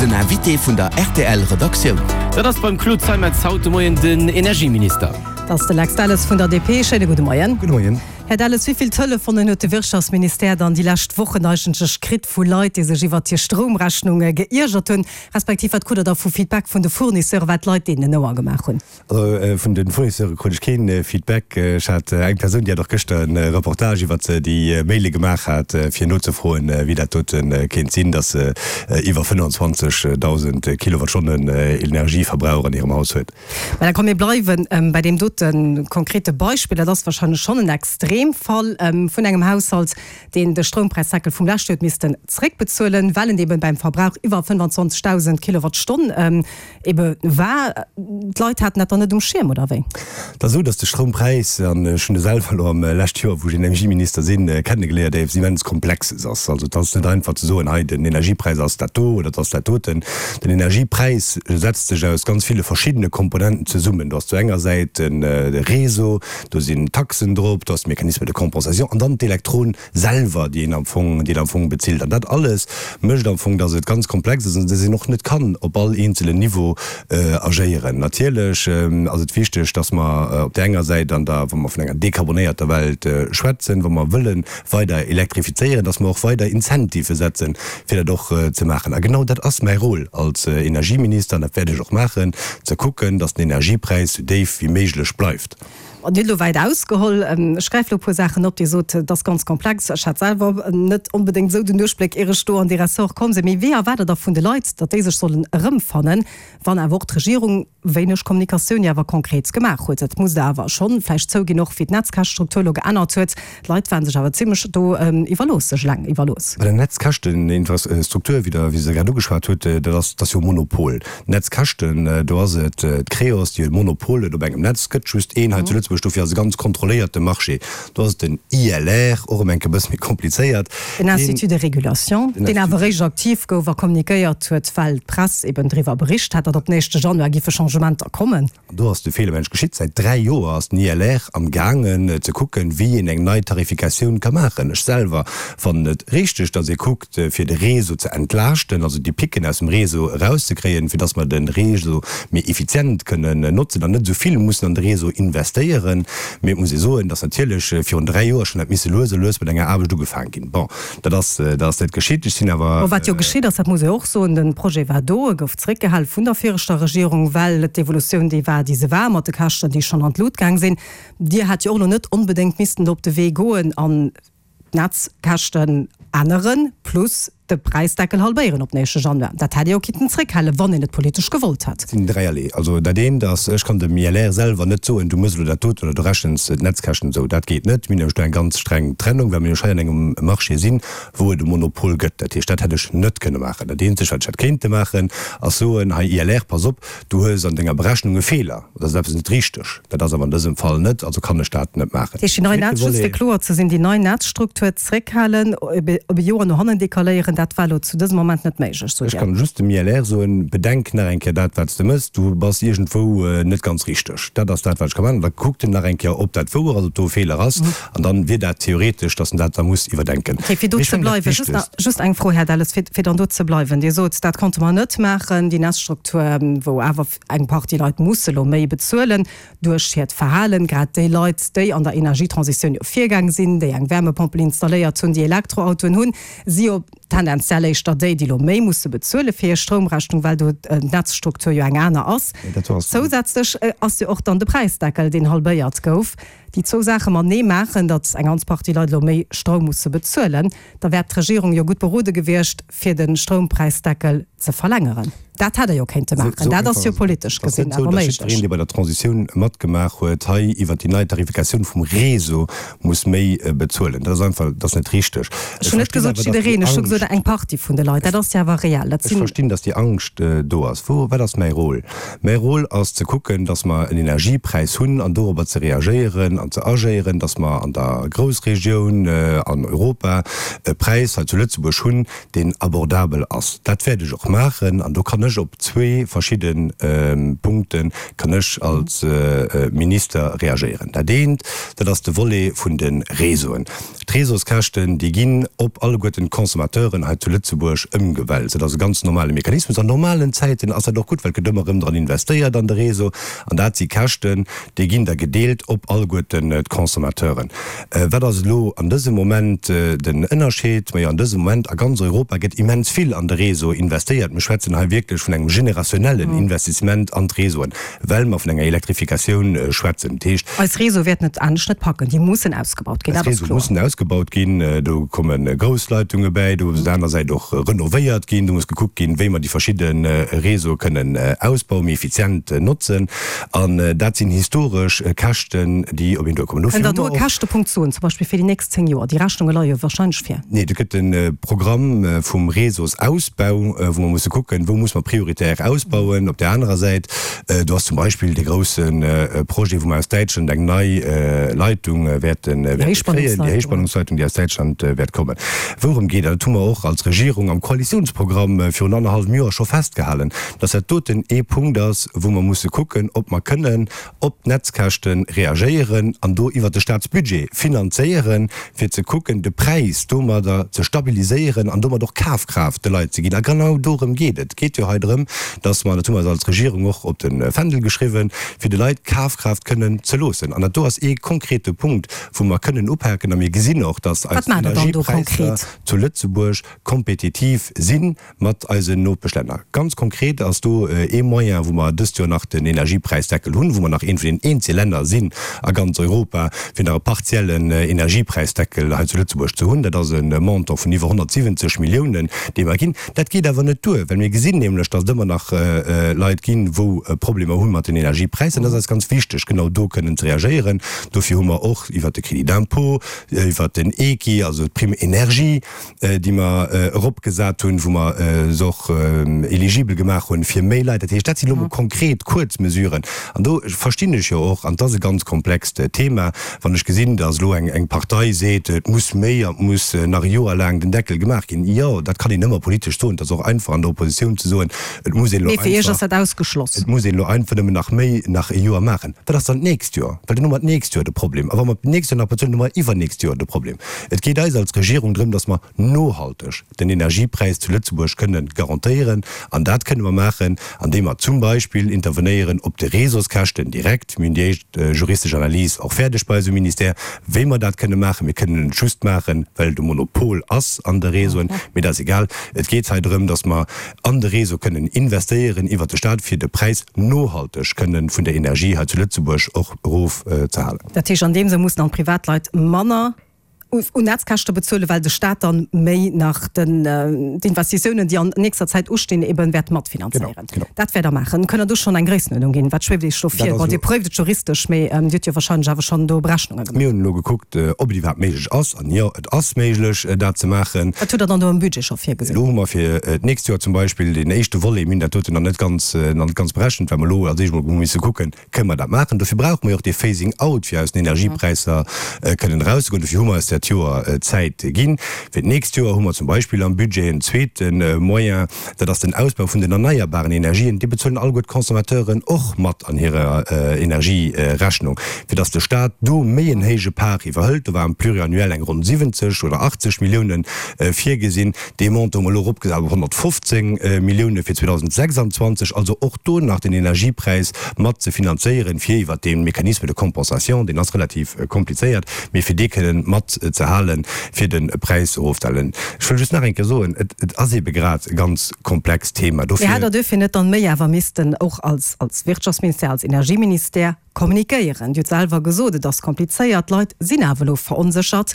Den Invité vun der rtl Redaktioun. Dat ass beim Claude Zeimetz haut de Moien den Energieminister. Dat ass de Lex Delles vun der DP. Schéine gudde Moien. Gudde Moien. Här Delles, wéi vill Telefonen huet de Wirtschaftsministère dann déi lescht Wochen eigentlech kritt vu Leit, déi sech iwwert hir Stroumrechnung geiergert hunn, respektiv wat krut Der da vu Feedback vun de Fournisseure, wat d'Leit deenen en Ouer gemaach hunn? Also vun de Fournisseure krut ech kee Feedback. Ech hat eng Persoun, déi hat och gëschter e Reportage iwwert déi Maile gemaach hat, fir nozefroen, wéi dat dote kéint sinn, datt se iwwer 25.000 Kilowattstonnen Energieverbrauch an hirem Haus huet. Mä da komm mir bleiwe bei deem dote konkrete Beispill. Dat ass wahrscheinlech schonn en Extremfall vun engem Haushalt, deen de Stroumpräisdeckel vum leschte Joer huet missten zréckbezuelen, well en eeben beim Verbrauch iwwer 25.000 Kilowattstonn Ebe war, d'Leit haten dat dann net um Schierm, oder wéi? Et ass esou, datt de Stroumpräis, an ech hunn e selwer elo am leschte Joer, wou ech Energieminister sinn, kennegeléiert, eppes immens Komplexes ass. Also et ass net einfach ze soen, hei den Energiepräis ass dat do oder et ass dat doten. Den Energiepräis setzt sech aus ganz ville verschiddene Komponenten zesummen. Do ass zu enger Säit de Réseau, do sinn Taxen drop, do ass de Mécanisme de compensation an dann d'Elektron selwer, déi een am Fong, déi een am Fong bezilt. An dat alles mécht am Fong, dass et ganz komplex ass an dass een och net kann op all eenzelen Niveau agéieren. Natierlech ass et wichteg, dass mer op där enger Säit an der, wa mer vun enger dekarbonéierter Welt schwätzen, wa mer wëlle weider elektrifizéieren, dass mer och weider Incentivë setzen, fir dat och ze maachen. A genau dat ass mäi Rôle als Energieminister, an dat wäert ech och maachen, ze kucken, dass den Energiepräis sou déif wéi méiglech bleift. Dir hutt elo wäit ausgeholl. Ech gräife elo e puer Saachen op. Dir sot, et ass ganz komplex. Ech hat selwer net onbedéngt esou den Duerchbléck, ier ech do an dee Ressort komm sinn. Mee wéi erwaart Der da vun de Leit, datt déi sech sollen erëmfannen, wann awer och d'Regierung wéineg Kommunikatioun jo awer konkret gemaach huet? Dat musst Der awer schonn vläicht zouginn, och wéi d'Netzkäschtestruktur elo geännert huet. D'Leit ware sech awer zimlech do iwwerlooss, sech eleng iwwerlooss. Bei der Netzkäschteninfrastruktur, wéi Der se grad ugeschwat hutt, dat ass, dat ass jo e Monopol. D'Netzkäschten, do ass et d'Creos, déi e Monopol huet op engem Netz. Et gëtt just een hei zu Lëtzebuerg, dofir ass e ganz kontrolléierte Marché. Do ass et den ILR, och ëm eng Kéier e bësse méi komplizéiert. Den Institut de régulation, deen awer eréischt aktiv gouf a kommunikéiert huet, well d'Press eben driwwer bericht hat, datt op den éischte Januar giffe Changementer kommen. An do ass de Feeler geschitt. Säit 3 Joer ass den ILR am gaangen ze kucken, wéi een eng nei Tarifikatioun ka maachen. Ech selwer fannen et richteg, datt ee kuckt, fir de Réseau ze entlaaschten, also déi Picken aus dem Réseau erauszekréien, fir datt mer de Réseau méi effizient kënnen notzen an net esou vill mussen an de Réseau investéieren. Mee et muss ee soen, datt natierlech virun 3 Joer schonn hätt misse lues a lues mat enger Aarbecht ugefaang ginn. Bon, dat ass, dat ass net geschitt. Ech sinn awer. Bon, wat jo geschitt ass, dat muss ee och soen, de Projet war do, e gouf zréckgehal vun der viregter Regierung, well d'Evolutioun déi war, déi se war, mat de Käschten, déi schonn an d'Lut gaang sinn. Dir hätt jo och elo net onbedéngt missten do op de Wee goen an d'Netzkäschten änneren, plus de Präisdeckel halbéieren op den éischte Januar. Dat hätt ee jo kinnten zréckhalen, wann een et politesch gewollt hätt. Et sinn dräierlee. Also dat eent ass, ech kann dem ILR selwer net soen, du mëss elo dat doten oder du rechens d'Netzkäschten esou. Dat geet net. Mir hunn nämlech do eng ganz streng Trennung, well mir nämlech hei an engem Marché sinn, wou et e Monopol gëtt. Dat heescht, dat hätt ech net kënne maachen. Dat eenzegt, wat ech hätt kéinte maachen, ass soen, hei ILR, pass op, Du hues an denger Berechnung e Feeler, et ass eppes net richteg. Dat ass awer an dësem Fall net, also kann ech dat net maachen. Dat heescht, déi nei Netz, just fir kloer ze sinn, déi nei Netzstruktur zréckhalen, op e Joer no hannen decaléieren, dat war elo zu dësem Moment net méiglech, sot Dir? Ech kann just dem ILR soen, Bedenk nach eng Kéier dat, wat s de mëss, du bass iergendwou net ganz richteg. Dat ass dat, wat ech ka maachen. An da kuckt en nach eng Kéier, ob dat wouer ass, ob do e Feeler ass. An dann wier dat theoretesch, dass en dat da muss iwwerdenken. Okay, fir do ze bleiwen, just nach, just eng Fro, Här Delles, fir, fir dann do ze bleiwen. Dir sot, dat konnte mer net maachen, déi Netzstruktur, wou awer eng Partie Leit musse lo méi bezuelen duerch hiert Verhalen, grad déi Leit, déi an der Energietransitioun jo virgaang sinn, déi eng Wärmepompel installéiert hunn, déi Elektroautoen hunn, si jo tendenziell éischter déi, déi lo méi musse bezuele fir hir Stroumrechnung, well do d'Netzstruktur jo eng aner ass. Zousätzlech ass jo och dann de Präisdeckel, deen halbéiert gouf. Déi zwou Saache matenee maachen, datt eng ganz Partie Leit elo méi Stroum musse bezuelen, da wär d'Regierung jo gutt berode gewiescht, fir de Stroumpräisdeckel ze verlängeren. Dat hätt Der jo kéinte maachen. Dat ass jo politesch gesinn awer méiglech. Et ass net esou, datt jiddwereen, dee bei der Transitioun matgemaach huet, hei iwwert déi nei Tarifikatioun vum Réseau muss méi bezuelen. Dat ass einfach, dat ass net richteg. Ech hunn net gesot jiddereen, ech hu gesot eng Partie vun de Leit. Dat ass jo awer reell. Ech verstinn, datt déi Angscht do ass. Wou, wat ass mäi Rôle? Mäi Rôle ass ze kucken, datt mer en Energiepräis hunn an dorobber ze reagéieren. an ze agéieren, dass mer an der Groussregioun, an Europa, e Präis hei zu Lëtzebuerg hunn, deen abordabel ass. Dat wäert ech och maachen an do kann ech op zwee verschidde Punkte kann ech als Minister reagéieren. Dat eent, dat ass de Volet vun de Réseauen. D'Réseauskäschten, déi ginn op alleguerten d'Consommateuren hei zu Lëtzebuerg ëmgewälzt. Dat ass e ganz normale Mechanismus. An normalen Zäiten ass dat och gutt, well et gëtt ëmmer erëm dran investéiert an de Réseau. An dat si Käschten, déi ginn da gedeelt op alleguerten d'Consommateuren. Wat ass elo an dësem Moment den Ënnerscheed? Majo, an dësem Moment a ganz Europa gëtt immens vill an de Réseau investéiert. Mir schwätzen hei wierklech vun engem generationnellen Investissement an d'Réseauen. Well mer vun enger Elektrifikatioun schwätzen. Dat heescht. Eis Réseaue wäerten et anescht net packen. Déi mussen ausgebaut ginn, dat ass kloer. Eis Réseaue mussen ausgebaut ginn. Do komme grouss Leitunge bäi. Do muss op der anerer Säit och renovéiert ginn. Do muss gekuckt ginn, wéi mer déi verschidde Réseaue kënnen ausbauen, méi effizient notzen. An dat sinn historesch Käschten, déi op een duerkommen. Dofir hu mer och. Kënnt Der do e Käschtepunkt soen, zum Beispill fir déi nächst 10 Joer? Déi Rechnunge leie jo warscheinlech vir. Nee, do gëtt e Programm vum Réseausausbau, wou mer musse kucken, wou muss mer prioritär ausbauen. Op där anerer Säit, do ass zum Beispill dee grousse Projet, wou mer aus Däitschland eng nei Leitung wäerte kréien, déi Héichspannungsleitung, déi aus Däitschland wäert kommen. Wourëm geet et? Dat hu mer och als Regierung am Koalitionsprogramm virun annerhallwem Joer scho festgehalen, dass dat doten ee Punkt ass, wou mer musse kucken, ob mer kënnen op d'Netzkäschte reagéieren an do iwwert de Staatsbudget finanzéieren, fir ze kucken, de Präis domadder ze stabiliséieren an domat och Kafkraaft de Leit ze ginn. A genau dorëm geet et. Et geet jo hei drëm, dass mer, dat hu mer eis als Regierung och op de Fändel geschriwwen, fir de Leit Kafkraaft kënnen ze loossen. An dat do ass ee konkrete Punkt, wou mer kënnen upaken. A mir gesinn och, dass eis Energiepräisser zu Lëtzebuerg kompetitiv sinn. Mat eisen Nopeschlänner. Ganz konkret ass do ee Moyen, wou mer dëst Joer nach den Energiepräisdeckel hunn, wou mer nach eent vun den eenzege Länner sinn a ganz Europa, fir nach e partiellen Energiepräisdeckel hei zu Lëtzebuerg ze hunn. Dat ass e Montant vun iwwer 170 Milliounen, dee mer ginn. Dat geet awer net duer, well mir gesinn nämlech, datt et ëmmer nach Leit ginn, wou Problemer hu mat den Energiepräisser. Dat ass eis ganz wichteg, genau do kënnen ze reagéieren. Dofir hu mer och iwwert de Crédit d'impôt, iwwert den EKI, also d'Prime énergie, déi mer eropgesat hunn, wou mer se och eligibel gemaach hunn fir méi Leit. Dat heescht, dat sinn elo mol konkret kuerz Mesuren. An do verstinn ech jo och, an et ass e ganz komplext Thema, wann ech gesinn, datt elo eng Partei seet, et muss méi an et muss nach e Joer laang den Deckel gemaach ginn. Jo, dat kann een ëmmer politesch soen. Et ass och einfach an der Oppositioun ze soen, et muss een elo einfach, et muss een elo einfach nëmmen nach méi, nach e Joer maachen. Wat ass dann d'nächst Joer? Well dann hu mer d'nächst Joer de Problem. A wa mer d'nächst Joer nach bezuelen, hu mer iwwernächst Joer de Problem. Et geet eis als Regierung drëm, datt mer nohalteg den Energiepräis zu Lëtzebuerg kënne garantéieren. An dat kënne mer maachen, andeem mer zum Beispill intervenéieren op de Réseauskäschten direkt. Mir hunn déi éischt juristesch Analys och fäerdeg bei eis um Ministère, wéi mer dat kënne maachen. Mir kënnen et just maachen, well et e Monopol ass an de Réseauen. Mee dat ass egal. Et geet hei drëm, datt mer an de Réseau kënnen investéieren iwwert de Stat, fir de Präis nohalteg kënne vun der Energie hei zu Lëtzebuerg och erofzehalen. Dat heescht, an deem Sënn mussen dann d'Privatleit manner un Netzkäschte bezuelen, well de Staat dann méi nach den d'Investitiounen, déi an nächster Zäit ustinn, eben wäert matfinanzéieren. Dat wäert Der maachen. Kënnt Der do schonn eng Gréissenuerdnung ginn? Wat schwieft Iech do vir? Bon, Dir préift et juristesch, mee Dir hutt jo wahrscheinlech awer schonn do Berechnunge gemaach. Mir hunn elo gekuckt, ob et iwwerhaapt méiglech ass. An jo, et ass méiglech, dat ze maachen. Wat hutt Der dann do am Budget scho virgesinn? Elo hu mer fir d'nächst Joer zum Beispill deen éischte Volet, mir hunn dat doten nach net ganz, nach net ganz berechent, well mer elo als éischt emol hu misse kucken, Kënne mer dat maachen? Dofir brauche mer jo och dee Phasing out, fir aus den Energiepräisser kënnen erauszegoen. Dofir hu mer eis dat Joer Zäit ginn. Fir d'nächst Joer hu mer zum Beispill am Budget en zweete Moyen, dat ass den Ausbau vun den erneierbaren Energien. Dee bezuelen alleguer d'Consommateuren och mat an hirer Energierechnung, fir datt de Stat do méi en héije Part iwwerhëlt. Do war am Pluriannuel eng ronn 70 oder 80 Milliounen virgesinn. Dee Montant hu mer elo eropgesat op 115 Millioune fir 2026, also och do nach den Energiepräis mat ze finanzéieren, fir iwwert dee Mécanisme de compensation, deen ass relativ komplizéiert, mee fir dee kënnen mat ze halen, fir de Präis erofzehalen. Ech wëll just nach eng Kéier soen, et ass eebe grad e ganz komplext Thema. Dofir. Mee hätt Der duerfir net dann méi awer missten och als Wirtschaftsministère, als Energieministère kommunikéieren? Dir hutt selwer gesot, et ass komplizéiert, d'Leit sinn awer elo veronséchert.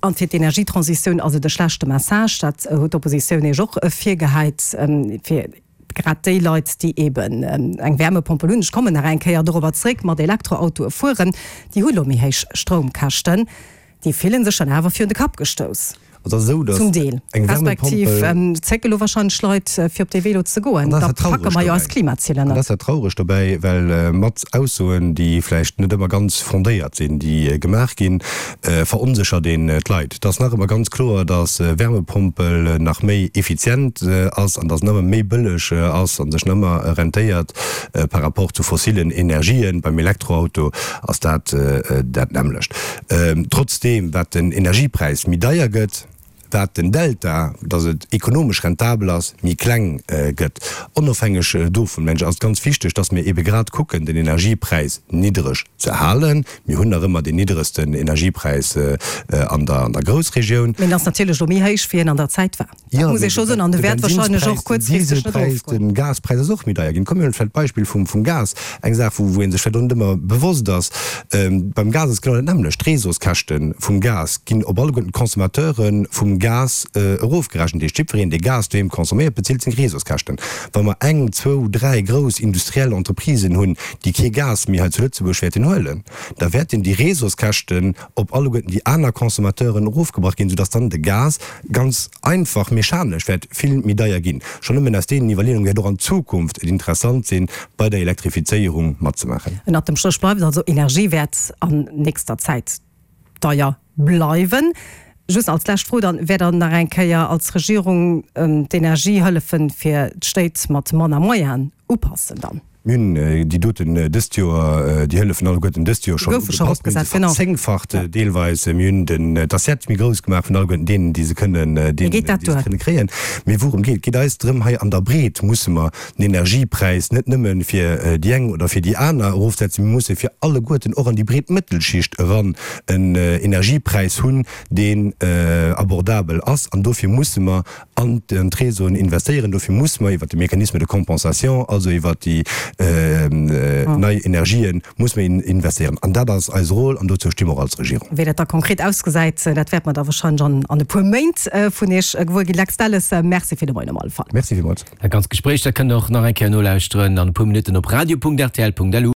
An fir d'Energietransitioun ass et e schlechte Message, dat huet d'Oppositioun Iech och virgehäit, fir grad déi Leit, déi eeben eng Wärmepompel hunn, ech kommen nach eng Kéier dorobber zréck, mat Elektroautoe fueren, déi hu lo méi héich Stroumkäschten, déi fillen sech dann awer virun de Kapp gestouss. Et ass esou, datt Zum Deel. eng Respektiv Wärmepompel. zécke lo wahrscheinlech Leit, fir op dee Vélo ze goen. An dat Da ass dat packe Trauregt mer jo dobäi. eis Klimaziler An dat net. ass dat Trauregt dobäi, well mat Aussoen, déi vläicht net ëmmer ganz fondéiert sinn, déi gemaach ginn, veronséchert een d'Leit. Et ass nach ëmmer ganz kloer, datt Wärmepompel nach méi effizient ass an datt en ëmmer méi bëlleg ass a sech nach ëmmer rentéiert par rapport zu fossilen Energien. Beim Elektroauto ass dat dat nämmlecht. Trotzdeem, wat den Energiepräis méi deier gëtt, wat den Delta, datt et ekonomesch rentabel ass, méi kleng gëtt. Onofhängeg dovun, mengen ech, ass et ganz wichteg, datt mir eebe grad kucken, den Energiepräis niddereg ze halen. Mir hunn nach ëmmer deen nidderegsten Energiepräis an der Groussregioun. Mee en ass natierlech elo méi héich, wéi en an der Zäit war. Dat muss ee scho soen. An de wäert wahrscheinlech och kuerzfristeg net erofgoen. De Gaspräis ass och méi deier ginn. Komm mir huelen vläicht d'Beispill vum Gas, eng Saach, wou ee sech vläicht och net ëmmer bewosst ass. Beim Gas ass genau dat nämmlecht. D'Réseauskäschte vum Gas ginn op alleguerten d'Consommateure vum Gas erofgerechent. Dat heescht, jiddwereen, dee Gas doheem consomméiert, bezilt seng Réseauskäschten. Wa mer eng, zwou, dräi grouss industriell Entreprisen hunn, déi kee Gas méi hei zu Lëtzebuerg wäerten huelen, da wäerten déi Réseauskäschten op alleguerten déi aner Consommateuren erofgebrach ginn, soudass dann de Gas ganz einfach mechanesch wäert vill méi deier ginn. Schonn nëmmen aus deenen Iwwerleeungen wäert och an Zukunft et interessant sinn, bei der Elektrifizéierung matzemaachen. Ënnert dem Stréch bleift also, Energie wäert an nächster Zäit deier bleiwen. Just als lescht Fro dann, Wäert Der nach eng Kéier als Regierung d'Energiehëllefen fir d'Stéit mat manner Moyenen upassen dann? Mir hunn déi doten dëst Joer, déi Hëllefen alleguerten dëst Joer schonn ugepasst. Mir hunn se verzéngfacht deelweis. Mir hunn den, d'Assiette méi grouss gemaach vun alleguerten deenen, déi se kënnen, deenen, déi se kënne kréien. Mee wourëm geet et? Et geet eis drëm, hei an der Breet musse mer den Energiepräis net nëmme fir déi eng oder fir déi aner erofsetzen, mir musse fir alleguerten och an déi breet Mëttelschicht eran en Energiepräis hunn, deen abordabel ass. An dofir musse mer an d'Réseauen investéieren. Dofir musse mer iwwert de Mécanisme de compensation, also iwwert déi nei Energien, musse mer investéieren. An dat ass eise Rôle an dozou sti mer och als Regierung. Wéi dat da konkret ausgesäit, dat wäerte mer da wahrscheinlech an e puer Méint vun Iech gewuer ginn. Lex Delles, Merci fir de Moien op alle Fall. Merci villmools. Dat ganzt Gespréich, dat kënnt Der och nach eng Kéier nolauschteren an e puer Minutten op radio.rtl.lu.